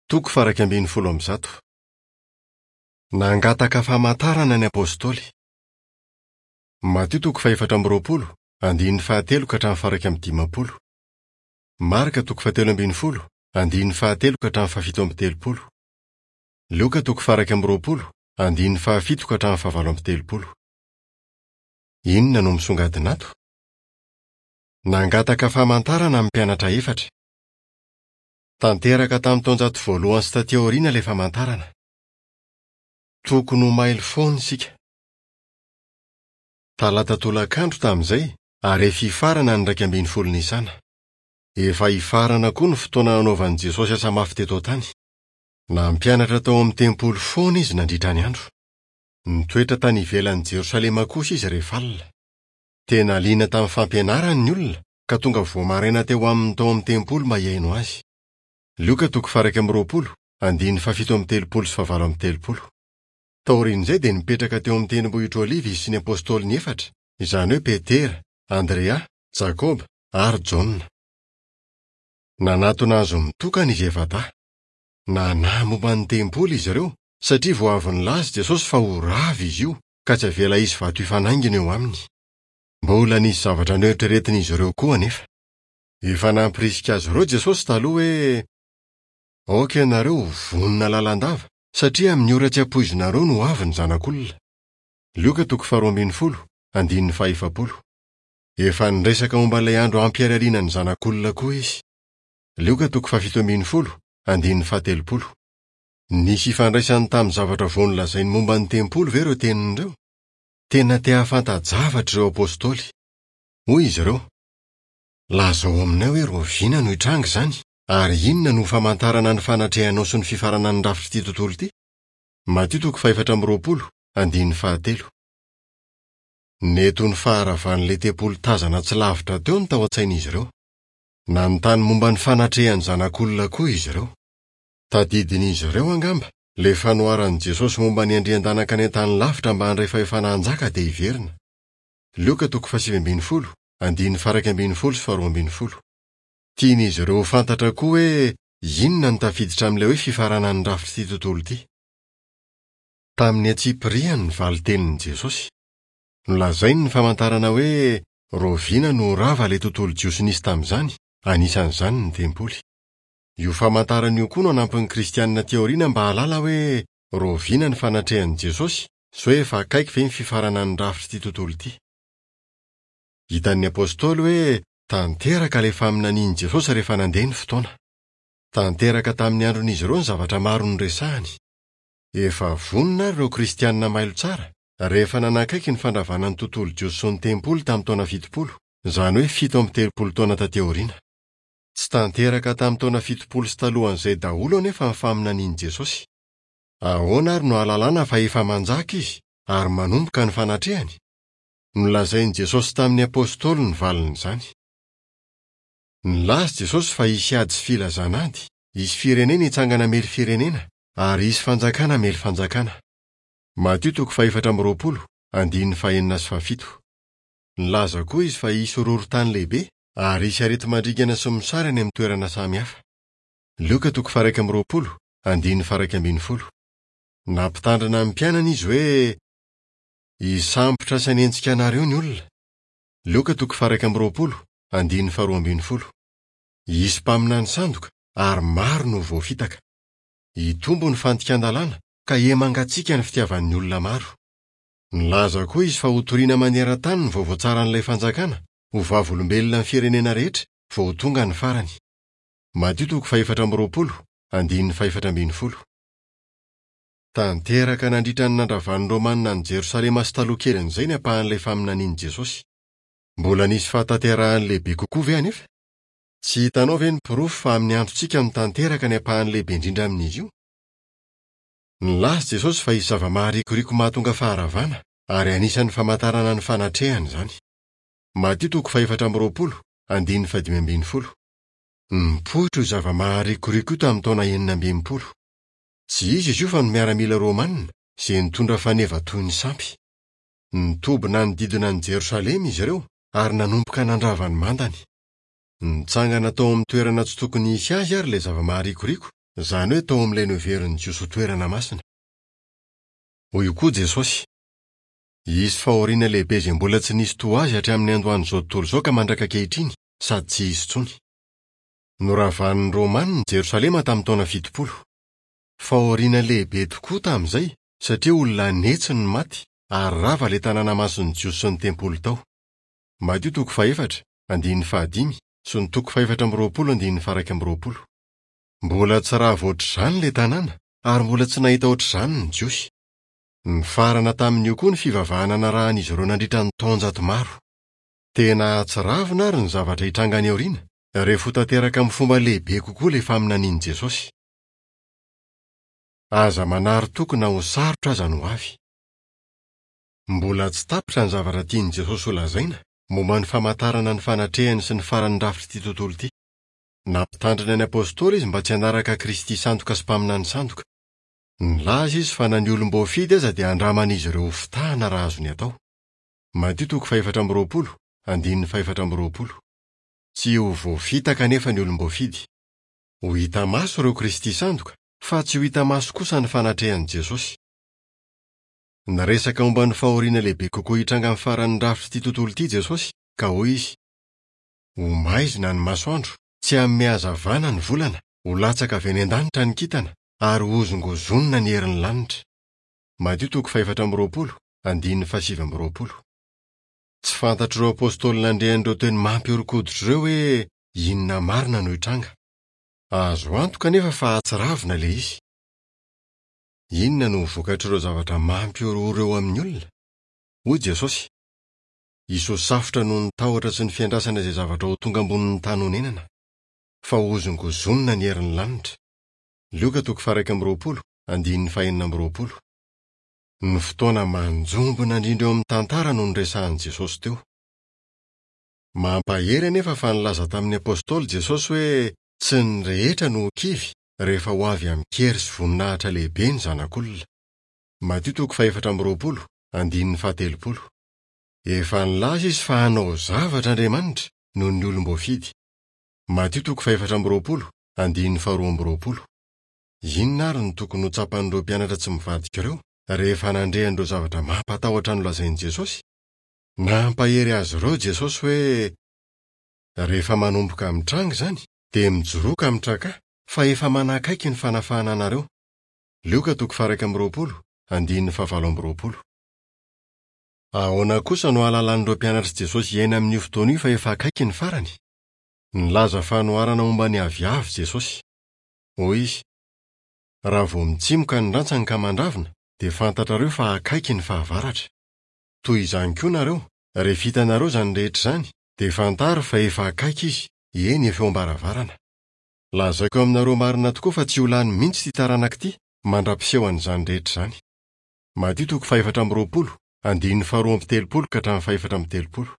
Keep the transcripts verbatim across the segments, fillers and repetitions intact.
Toko faha-iraika ambin'ny folo amby zato. Nangataka famantarana ny Apostoly. Matio toko fahefatra amby roapolo, andininy fahatelo ka hatramin'ny faha-iraika amby dimampolo. Marka toko fahatelo ambin'ny folo, andininy fahatelo ka hatramin'ny fahafito amby telopolo. Lioka toko faha-iraika amby roapolo, andininy fahafito ka hatramin'ny fahavalo amby telopolo. Inona no misongadina ato? Nangataka famantarana ny mpianatra efatra. Tanteraka tamin'ny taonjato voalohany sy taty aoriana ilay famantarana. Tokony ho mailo foana isika. Talata tolakandro tamin'izay ary efa hifarana ny iraika ambin'ny folo Nisana. Efa hifarana koa ny fotoana nanaovan'i Jesosy asa mafy teto an-tany. Nampianatra tao amin'ny tempoly foana izy nandritra ny andro. Nitoetra tany ivelan'i Jerosalema kosa izy rehefa alina. Tena liana tamin'ny fampianarany ny olona ka tonga vao maraina teo aminy tao amin'ny tempoly mba hihaino azy. Lioka toko faha-iraika amby roapolo, andininy fahafito amby telopolo sy fahavalo amby telopolo. Taorian'izay dia nipetraka teo amin'ny tendrombohitra Oliva izy sy ny apostoliny efatra, izany hoe Petera, Andrea, Jakoba ary Jaona. Nanatona azy mitokana izy efa-dahy. Nanahy momba ny tempoly izy ireo satria vao avy nilaza Jesosy fa ho rava izy io ka tsy avela hisy vato hifanaingina eo aminy. Mbola nisy zavatra noeritreretin'izy ireo koa anefa. Efa nampirisika azy ireo Jesosy taloha hoe aoka ianareo ho vonona lalandava satria amin'ny ora tsy ampoizinareo no ho avy ny Zanak'olona. Lioka toko faharoa ambin'ny folo, andininy fahefapolo. Efa niresaka momba ilay andro hampiharihariana ny Zanak'olona koa izy. Lioka toko fahafito ambin'ny folo, andininy fahatelopolo. Nisy ifandraisany tamin'ny zavatra vao nolazainy momba ny tempoly ve ireo teniny ireo? Tena te hahafanta-javatra ireo apostoly. Hoy izy ireo: Lazao aminay hoe rahoviana no hitranga izany, ary inona no ho famantarana ny fanatrehanao sy ny fifaranan'ny rafitr'ity tontolo ity? Matio toko fahefatra amby roapolo, andininy fahatelo. Nety ho ny faharavan'ilay tempoly tazana tsy lavitra teo no tao an-tsain'izy ireo. Nanontany momba ny fanatrehan'ny Zanak'olona koa izy ireo. Tadidin'izy ireo angamba ilay fanoharan'i Jesosy momba ny andrian-danaka any an-tany lavitra mba handray fahefana hanjaka dia hiverina. Lioka toko fahasivy ambin'ny folo, andininy faha-iraika ambin'ny folo sy faharoa ambin'ny folo. Tian'izy ireo ho fantatra koa hoe inona no tafiditra amin'ilay hoe fifaranan'ny rafitr'ity tontolo ity. Tamin'ny antsipiriany ny valin-tenin'i Jesosy. Nolazainy ny famantarana hoe rahoviana no ho rava ilay tontolo jiosy nisy tamin'izany, anisan'izany ny tempoly. Io famantarana io koa no hanampy ny Kristianina aty aoriana mba hahalala hoe rahoviana ny fanatrehan'i Jesosy sy hoe efa akaiky ve ny fifaranan'ny rafitr'ity tontolo ity. Hitan'ny apostoly hoe tanteraka ilay faminanian'i Jesosy rehefa nandeha ny fotoana. Tanteraka tamin'ny andron'izy ireo ny zavatra maro noresahany. Efa vonona ary ireo Kristianina mailo tsara rehefa nanakaiky ny fandravana ny tontolo jiosy sy ny tempoly tamin'ny taona fitopolo, izany hoe fito amby telopolo taona taty aoriana. Tsy tanteraka tamin'ny taona fitopolo sy talohan'izay daholo anefa ny faminanian'i Jesosy. Ahoana ary no ahalalana fa efa manjaka izy ary manomboka ny fanatrehany? Nolazain'i Jesosy tamin'ny apostoly ny valin'izany. Nilaza Jesosy fa hisy ady sy filazana ady, hisy firenena hitsangana hamely firenena, ary hisy fanjakana hamely fanjakana. Matio toko fahefatra amby roapolo, andininy fahenina sy fahafito. Nilaza koa izy fa hisy horohorontany lehibe ary hisy areti-mandringana sy mosary any amin'ny toerana samihafa. Lioka toko faha-iraika amby roapolo, andininy faha-iraika ambin'ny folo. Nampitandrina ny mpianany izy hoe hisambotra sy hanenjika anareo ny olona. Lioka toko faha-iraika amby roapolo, andininy faharoa ambin'ny folo. Hisy mpaminany sandoka ary maro no ho voafitaka. Hitombo ny fandikan-dalàna ka hiha-mangatsiaka ny fitiavan'ny olona maro. Nilaza koa izy fa hotorina maneran-tany ny vaovao tsaran'ilay fanjakana, ho vavolombelona ny firenena rehetra vao ho tonga ny farany. Matio toko fahefatra amby roapolo, andininy fahefatra ambin'ny folo. Tanteraka nandritra ny nandravan'ny Romanina an'i Jerosalema sy taloha kelin'izay ny ampahan'ilay faminanian'i Jesosy. Mbola nisy fahatanterahany lehibe kokoa ve anefa? Tsy hitanao ve ny porofo fa amin'ny androntsika no tanteraka ny ampahany lehibe indrindra amin'izy io? Nilaza Jesosy fa hisy zava-maharikoriko mahatonga faharavana, ary anisan'ny famantarana ny fanatrehany izany. Matio toko fahefatra amby roapolo, andininy fahadimy ambin'ny folo. Nipoitra io zava-maharikoriko io tamin'ny taona enina amby enimpolo. Tsy iza izy io fa ny miaramila romanina, izay nitondra faneva toy ny sampy. Nitoby nanodidina an'i Jerosalema izy ireo ary nanomboka nandrava ny mandany. Nitsangana tao amin'ny toerana tsy tokony hisy azy àry ilay zava-maharikoriko, izany hoe tao amin'ilay noheverin'ny Jiosy ho toerana masina. Hoy koa Jesosy: Hisy fahoriana lehibe izay mbola tsy nisy toa azy hatramin'ny niandohan'izao tontolo izao ka mandraka ankehitriny, sady tsy hisy intsony. Noravan'ny Romanina Jerosalema tamin'ny taona fitopolo. Fahoriana lehibe tokoa tamin'izay, satria olona an'hetsy no maty ary rava ilay tanàna masin'ny Jiosy sy ny tempoly tao. Matio toko fahefatra, andininy fahadimy, sy ny toko fahefatra amby roapolo andininy faha-iraika amby roapolo. Mbola tsy rava ohatr'izany ilay tanàna ary mbola tsy nahita ohatr'izany ny Jiosy. Nifarana tamin'io koa ny fivavahana narahan'izy ireo nandritra ny taonjato maro. Tena hahatsiravina ary ny zavatra hitranga any aoriana, rehefa ho tanteraka amin'ny fomba lehibe kokoa ilay faminanian'i Jesosy. Aza manary toky na ho sarotra aza no avy. Mbola tsy tapitra ny zavatra tian'i Jesosy holazaina momba ny famantarana ny fanatrehany sy ny faran'ny rafitr'ity tontolo ity. Nampitandrina ny apostoly izy mba tsy hanaraka Kristy sandoka sy mpaminany sandoka. Nilaza izy fa na ny olom-boafidy aza dia andraman'izy ireo ho fitahana raha azony atao. Matio toko fahefatra amby roapolo, andininy fahefatra amby roapolo. Tsy ho voafitaka anefa ny olom-boafidy. Ho hita maso ireo Kristy sandoka, fa tsy ho hita maso kosa ny fanatrehan'i Jesosy. Niresaka momba ny fahoriana lehibe kokoa hitranga amin'ny faran'ny rafitr'ity tontolo ity Jesosy, ka hoy izy: Ho maizina ny masoandro, tsy hanome hazavana ny volana, ho latsaka avy any an-danitra ny kintana, ary hozongozonina ny herin'ny lanitra. Matio toko fahefatra amby roapolo, andininy fahasivy amby roapolo. Tsy fantatr'ireo apostoly nandre an'ireo teny mampihoron-koditra ireo hoe inona marina no hitranga. Azo antoka anefa fa hahatsiravina ilay izy. Inona no ho vokatr'ireo zavatra mampihorohoro eo amin'ny olona? Hoy Jesosy: Hisy ho safotra noho ny tahotra sy ny fiandrasana izay zavatra ho tonga ambonin'ny tany honenana, fa hozongozonina ny herin'ny lanitra. Lioka toko faha-iraika amby roapolo, andininy fahenina amby roapolo. Ny fotoana manjombona indrindra eo amin'ny tantara no niresahan'i Jesosy teo. Mampahery anefa fa nilaza tamin'ny apostoly Jesosy hoe tsy ny rehetra no ho kivy rehefa ho avy amin-kery sy voninahitra lehibe ny Zanak'olona. Matio toko fahefatra amby roapolo, andininy fahatelopolo. Efa nilaza izy fa hanao zavatra Andriamanitra noho ny olom-boafidy. Matio toko fahefatra amby roapolo, andininy faharoa amby roapolo. Inona ary no tokony ho tsapan'ireo mpianatra tsy mivadika ireo rehefa nandre an'ireo zavatra mampatahotra nolazain'i Jesosy? Nampahery azy ireo Jesosy hoe: Rehefa manomboka mitranga izany, dia mijoroa ka mitrakà, fa efa manakaiky ny fanafahana anareo. Lioka toko faha-iraika amby roapolo, andininy fahavalo amby roapolo. Ahoana kosa no hahalalan'ireo mpianatr'i Jesosy hiaina amin'io fotoana io fa efa akaiky ny farany? Nilaza fanoharana momba ny aviavy Jesosy. Hoy izy: Raha vao mitsimoka ny rantsany ka mandravina, dia fantatrareo fa akaiky ny fahavaratra. Toy izany koa nareo, rehefa hitanareo izany rehetra izany, dia fantaro fa efa akaiky izy, eny efa eo am-baravarana. Lazaiko aminareo marina tokoa fa tsy ho lany mihitsy ity taranaka ity mandra-piseho an'izany rehetra izany. Matio toko fahefatra amby roapolo, andininy faharoa amby telopolo ka hatramin'ny fahefatra amby telopolo.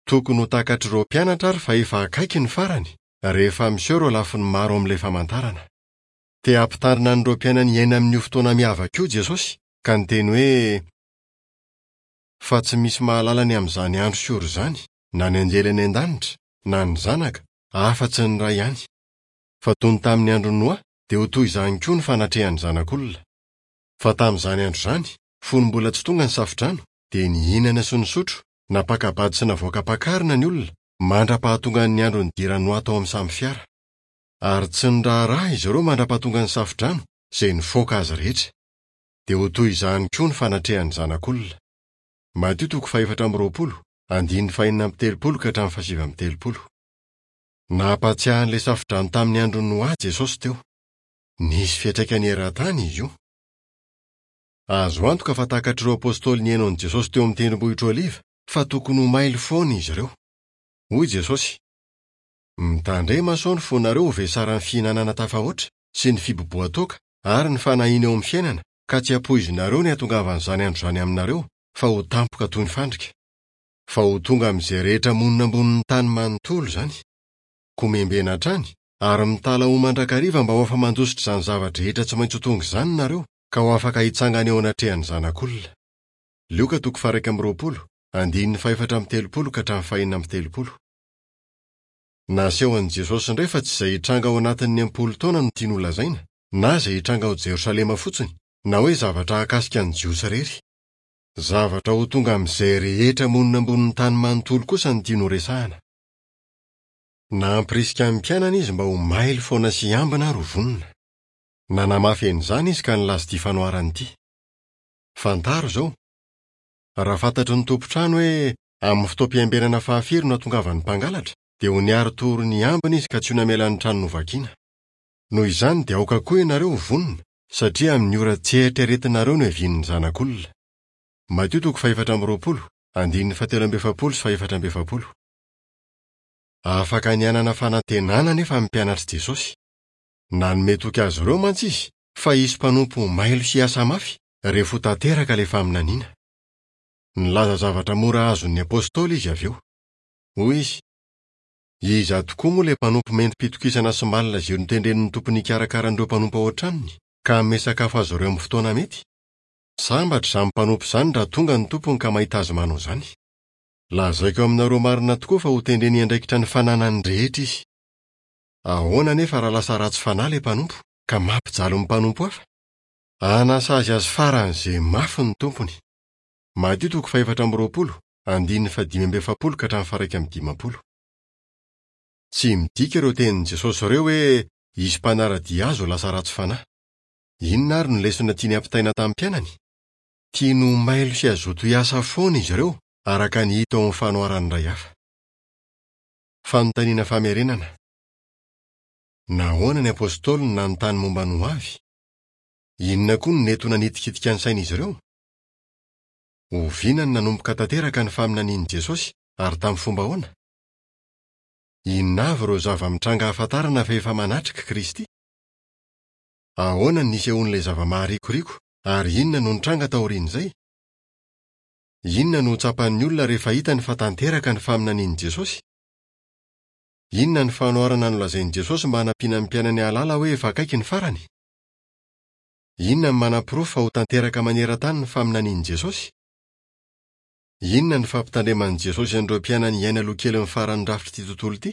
Tokony ho takatr'ireo mpianatra ary fa efa akaiky ny farany, rehefa miseho ireo lafiny maro amin'ilay famantarana. Te hampitandrina an'ireo mpianany hiaina amin'io fotoana miavaka io Jesosy, ka niteny hoe: Fa tsy misy mahalala ny amin'izany andro sy ora izany, na ny anjely any an-danitra, na ny Zanaka, afa-tsy ny Ray ihany. Fa toy ny tamin'ny andron'i Noa, dia ho toy izany koa ny fanatrehan'ny Zanak'olona. Fa tamin'izany andro izany, fony mbola tsy tonga ny safodrano, dia nihinana sy nisotro, nampaka-bady sy navoaka-pakarina ny olona, mandra-pahatongan'ny andro nidiran'i Noa tao amin'ny samy fiara. Ary tsy niraharaha izy ireo mandra-pahatonga ny safodrano, izay nifoaka azy rehetra. Dia ho toy izany koa ny fanatrehan'ny Zanak'olona. Matio toko fahefatra amby roapolo, andininy fahenina amby telopolo ka hatramin'ny fahasivy amby telopolo. Nampatsiahy an'ilay safodrano tamin'ny andron'i Noa Jesosy teo. Nisy fiantraikany eran-tany izy io. Azo antoka fa takatr'ireo apostoly nihaino an'i Jesosy teo amin'ny tendrombohitra Oliva fa tokony ho mailo foana izy ireo. Hoy Jesosy: Mitandrema sao ny fonareo ho vesaran'ny fihinanana tafahoatra sy ny fibobohan-toaka ary ny fanahiana eo amin'ny fiainana, ka tsy hampoizinareo ny hahatongavan'izany andro izany aminareo, fa ho tampoka toy ny fandrika. Fa ho tonga amin'izay rehetra monina ambonin'ny tany manontolo izany. Koa miambena hatrany ary mitalaho mandrakariva mba ho afa-mandositra izany zava-drehetra tsy maintsy ho tonga izany nareo, ka ho afaka hitsangana eo anatrehan'ny Zanak'olona. Lioka toko faha-iraika amby roapolo, andininy fahefatra amby telopolo ka hatramin'ny fahenina amby telopolo. Nasehon'i Jesosy indray fa tsy izay hitranga ao anatin'ny am-polo taona no tiany holazaina, na izay hitranga ao Jerosalema fotsiny, na hoe zavatra hahakasika ny Jiosy irery. Zavatra ho tonga amin'izay rehetra monina ambonin'ny tany manontolo kosa no tiany horesahana. Nampirisika ny mpianany izy mba ho mailo foana sy hiambina ary ho vonona. Nanamafy an'izany izy ka nilaza ity fanoharana ity. Fantaro izao. Raha fantatry ny tompon-trano hoe amin'ny fotoam-piambenana fahafiry no hahatongavan'ny mpangalatra, dia ho niari-tory niambina izy ka tsy ho namela ny trano novakiana. Noho izany dia aoka koa ianareo ho vonona, satria amin'ny ora tsy eritreretinareo no hiavian'ny Zanak'olona. Matio toko fahefatra amby roapolo, andininy fahatelo amby efapolo sy fahefatra amby efapolo. Afaka ny hanana fanantenana anefa ny mpianatr'i Jesosy. Nanome toky azy ireo mantsy izy fa hisy mpanompo ho mailo sy hiasa mafy rehefa ho tanteraka ilay faminaniana. Nilaza zavatra mora azon'ny apostoly izy avy eo. Hoy izy: Iza tokoa moa ilay mpanompo mendri-pitokisana sy malina izay notendren'ny tompony hikarakara an'ireo mpanompo ao an-tranony, ka hanome sakafo azy ireo amin'ny fotoana mety? Sambatra izany mpanompo izany raha tonga ny tompony ka mahita azy manao izany. Lazaiko aminareo marina tokoa fa hotendreny hiandraikitra ny fananany rehetra izy. Ahoana anefa raha lasa ratsy fanahy ilay mpanompo, ka mampijaly ny mpanompo hafa? Hanasazy azy faran'izay mafy ny tompony. Matio toko fahefatra amby roapolo, andininy fahadimy amby efapolo ka hatramin'ny faha-iraika amby dimampolo. Tsy midika ireo tenin'i Jesosy ireo hoe hisy mpanara-dia azy ho lasa ratsy fanahy. Inona ary no lesona tiany hampitaina tamin'ny mpianany? Tiany ho mailo sy hazoto hiasa foana izy ireo, araka ny hita ao amin'ny fanoharana iray hafa. Fanontaniana famerenana. Nahoana ny apostoly no nanontany momba ny hoavy? Inona koa no nety ho nanitikitika ny sain'izy ireo? Oviana no nanomboka tanteraka ny faminanian'i Jesosy, ary tamin'ny fomba ahoana? Inona avy ireo zava-mitranga ahafantarana fa efa manatrika Kristy? Ahoana no nisehoan'ilay zava-maharikoriko, ary inona no nitranga taorian'izay? Inona no ho tsapan'ny olona rehefa hitany fa tanteraka ny faminanian'i Jesosy? Inona ny fanoharana nolazain'i Jesosy mba hanampiana ny mpianany hahalala hoe efa akaiky ny farany? Inona no manaporofo fa ho tanteraka maneran-tany ny faminanian'i Jesosy? Inona no fampitandreman'i Jesosy an'ireo mpianany hiaina aloha kelin'ny faran'ny rafitr'ity tontolo ity?